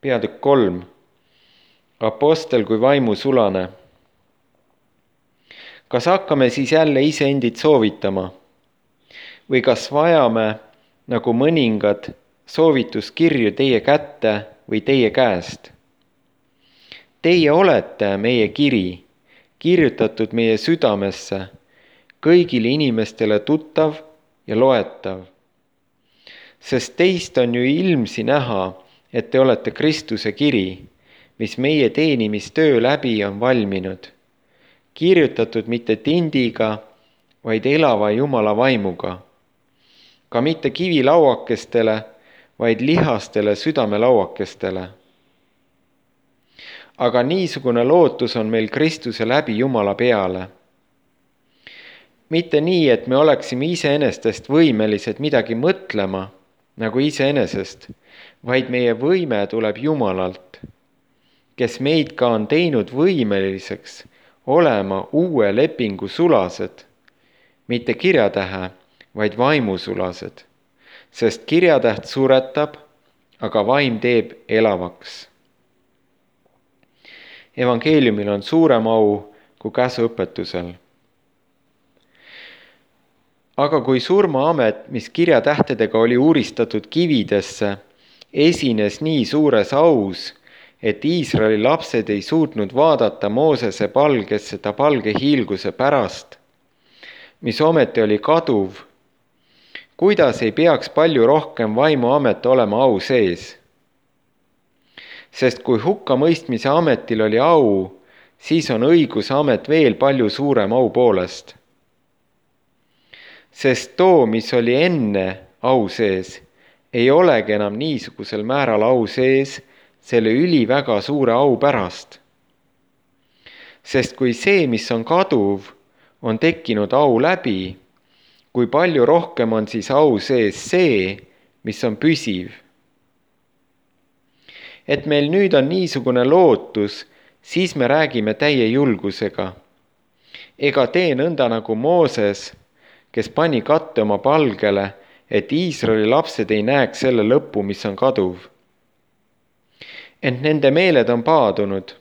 peatükk 3. Apostel kui vaimusulane. Kas hakkame siis jälle iseendid soovitama? Või kas vajame, nagu mõningad, soovituskirju teie kätte või teie käest? Teie olete meie kiri, kirjutatud meie südamesse, kõigile inimestele tuttav ja loetav. Sest teist on ju ilmsi näha, et te olete Kristuse kiri, mis meie teenimistöö läbi on valminud, kirjutatud mitte tindiga, vaid elava Jumala vaimuga. Ka mitte kivilauakestele, vaid lihastele südamelauakestele. Aga niisugune lootus on meil Kristuse läbi Jumala peale. Mitte nii, et me oleksime iseenestest võimelised midagi mõtlema, nagu iseenesest, vaid meie võime tuleb Jumalalt, kes meid ka on teinud võimeliseks olema uue lepingu sulased, mitte kirjatähe, vaid vaimusulased, sest kirjatäht suretab, aga vaim teeb elavaks. Evangeeliumil on suurem au kui käsuõpetusel. Aga kui surmaamet, mis kirjatähtedega oli uuristatud kividesse, esines nii suures aus, et Iisraeli lapsed ei suutnud vaadata Moosese palgesse ta palge hiilguse pärast, mis ometi oli kaduv, kuidas ei peaks palju rohkem vaimuamet olema au sees? Sest kui hukkamõistmise ametil oli au, siis on õigusamet veel palju suurem au poolest. Sest too, mis oli enne au sees, ei olegi enam niisugusel määral au sees selle üliväga suure au pärast. Sest kui see, mis on kaduv, on tekkinud au läbi, kui palju rohkem on siis au sees see, mis on püsiv. Et meil nüüd on niisugune lootus, siis me räägime täie julgusega. Ega tee nõnda nagu Mooses, kes pani katte oma palgele, et Iisraeli lapsed ei näeks selle lõppu, mis on kaduv. Ent nende meeled on paadunud,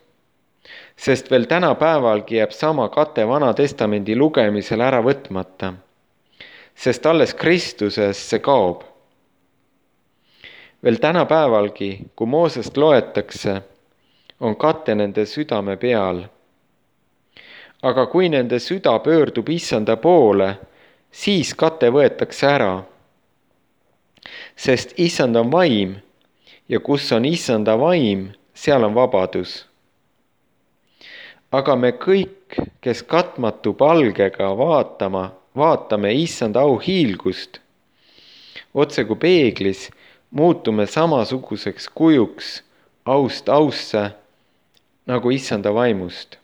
sest veel tänapäevalgi jääb sama kate Vana Testamendi lugemisel ära võtmata, sest alles Kristuses see kaob. Veel tänapäevalgi, kui Moosest loetakse, on kate nende südame peal. Aga kui nende süda pöördub Issanda poole, siis kate võetakse ära. Sest Issand on vaim ja kus on Issanda vaim, seal on vabadus. Aga me kõik, kes katmatu palgega vaatame Issanda au hiilgust, otse kui peeglis, muutume samasuguseks kujuks aust ausse, nagu Issanda vaimust.